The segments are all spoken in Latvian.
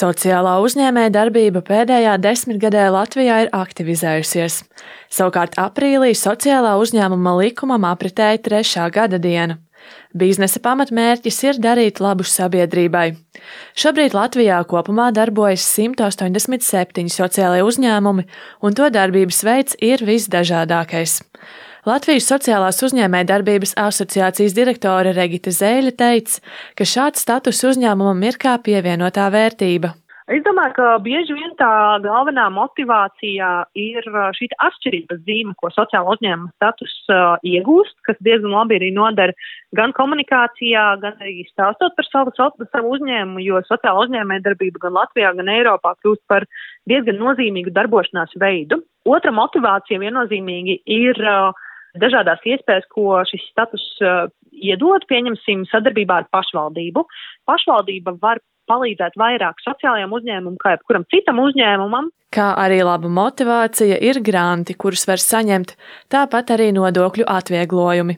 Sociālā uzņēmējdarbība pēdējā desmitgadē Latvijā ir aktivizējusies. Savukārt aprīlī sociālā uzņēmuma likumam apritēja 3. gada diena. Biznesa pamatmērķis ir darīt labu sabiedrībai. Šobrīd Latvijā kopumā darbojas 187 sociālie uzņēmumi, un to darbības veids ir visdažādākais. Latvijas Sociālās uzņēmējdarbības asociācijas direktore Regita Zēļa teica, ka šāds status uzņēmumam ir kā pievienotā vērtība. Es domāju, ka bieži vien tā galvenā motivācija ir šī atšķirības zīme, ko sociāla uzņēmuma status iegūst, kas diezgan labi arī nodara gan komunikācijā, gan arī stāstot par savu uzņēmumu, jo sociāla uzņēmējdarbība gan Latvijā, gan Eiropā kļūst par diezgan nozīmīgu darbošanās veidu. Otra motivācija viennozīmīgi ir dažādās iespējas, ko šis status iedod, pieņemsim sadarbībā ar pašvaldību. Pašvaldība var palīdzēt vairāk sociālajiem uzņēmumam, kā jebkuram citam uzņēmumam. Kā arī laba motivācija ir granti, kurus var saņemt, tāpat arī nodokļu atvieglojumi.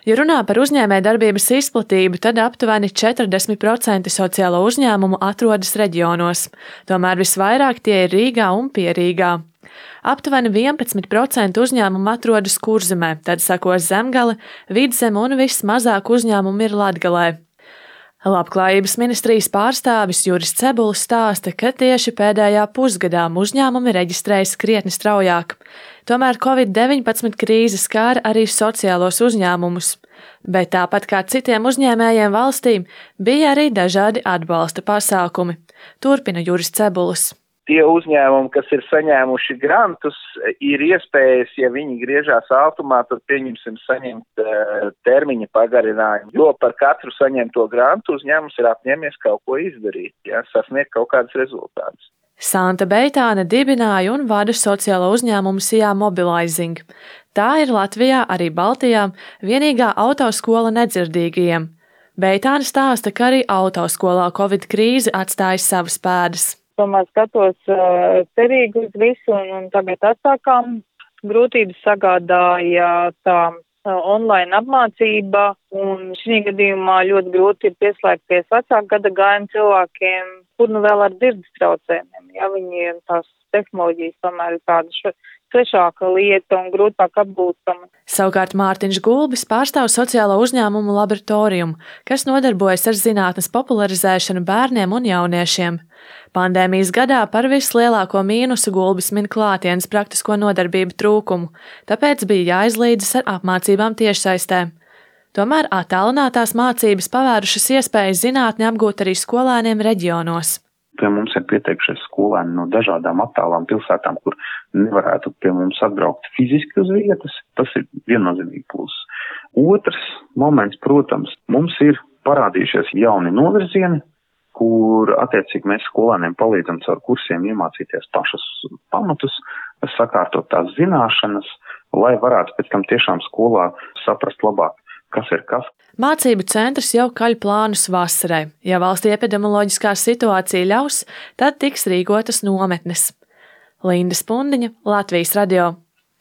Ja runā par uzņēmējdarbības izplatību, tad aptuveni 40% sociālo uzņēmumu atrodas reģionos, tomēr visvairāk tie ir Rīgā un Pierīgā. Aptuveni 11% uzņēmumu atrodas Kurzemē, tad seko Zemgale, Vidzeme un vismazāk uzņēmumu ir Latgalē. Labklājības ministrijas pārstāvis Juris Cebulis stāsta, ka tieši pēdējā pusgadā uzņēmumi reģistrējas krietni straujāk. Tomēr Covid-19 krīze skāra arī sociālos uzņēmumus, bet tāpat kā citiem uzņēmējiem valstīm bija arī dažādi atbalsta pasākumi. Turpina Juris Cebulis. Tie uzņēmumi, kas ir saņēmuši grantus, ir iespējas, ja viņi griežās ātrumā, tad pieņemsim saņemt termiņa pagarinājumu. Jo par katru saņemto grantu uzņēmums ir apņēmies kaut ko izdarīt, sasniegt kaut kādus rezultātus. Santa Beitāne dibināja un vada sociālo uzņēmumu Sijā Mobilizing. Tā ir Latvijā, arī Baltijā, vienīgā autoskola nedzirdīgajiem. Beitāne stāsta, ka arī autoskolā Covid krīze atstāja savas pēdas. Tomēr skatos cerīgi uz visu, un tagad atsākām. Grūtības sagādāja tā online apmācība, un šī gadījumā ļoti grūti ir pieslēgties vecāku gada gājumu cilvēkiem, kur nu vēl ar dzirdes traucējumiem. Ja viņiem tās tehnoloģijas tomēr ir tāda svešāka lieta un grūtāk apgūstama. Savukārt Mārtiņš Gulbis pārstāv sociālo uzņēmumu laboratoriju, kas nodarbojas ar zinātnes popularizēšanu bērniem un jauniešiem. Pandēmijas gadā par vislielāko mīnusu Gulbis min klātienes praktisko nodarbību trūkumu, tāpēc bija jāizlīdzas ar apmācībām tiešsaistē. Tomēr attālinātās mācības pavērušas iespējas zinātni apgūt arī skolēniem reģionos. Pie mums ir pieteikušies skolēni no dažādām attālām pilsētām, kur nevarētu pie mums atbraukt fiziski uz vietas. Tas ir viennozīmīgi pluss. Otrs moments, protams, mums ir parādījušies jauni novirzieni, kur attiecīgi mēs skolēniem palīdzam caur kursiem iemācīties pašus pamatus, sakārtot tās zināšanas, lai varētu pēc tam tiešām skolā saprast labāk, kas ir kas. Mācību centrs jau kaļ plānus vasarai. Ja valsts epidemioloģiskā situācija ļaus, tad tiks rīkotas nometnes. Linda Spundiņa, Latvijas radio.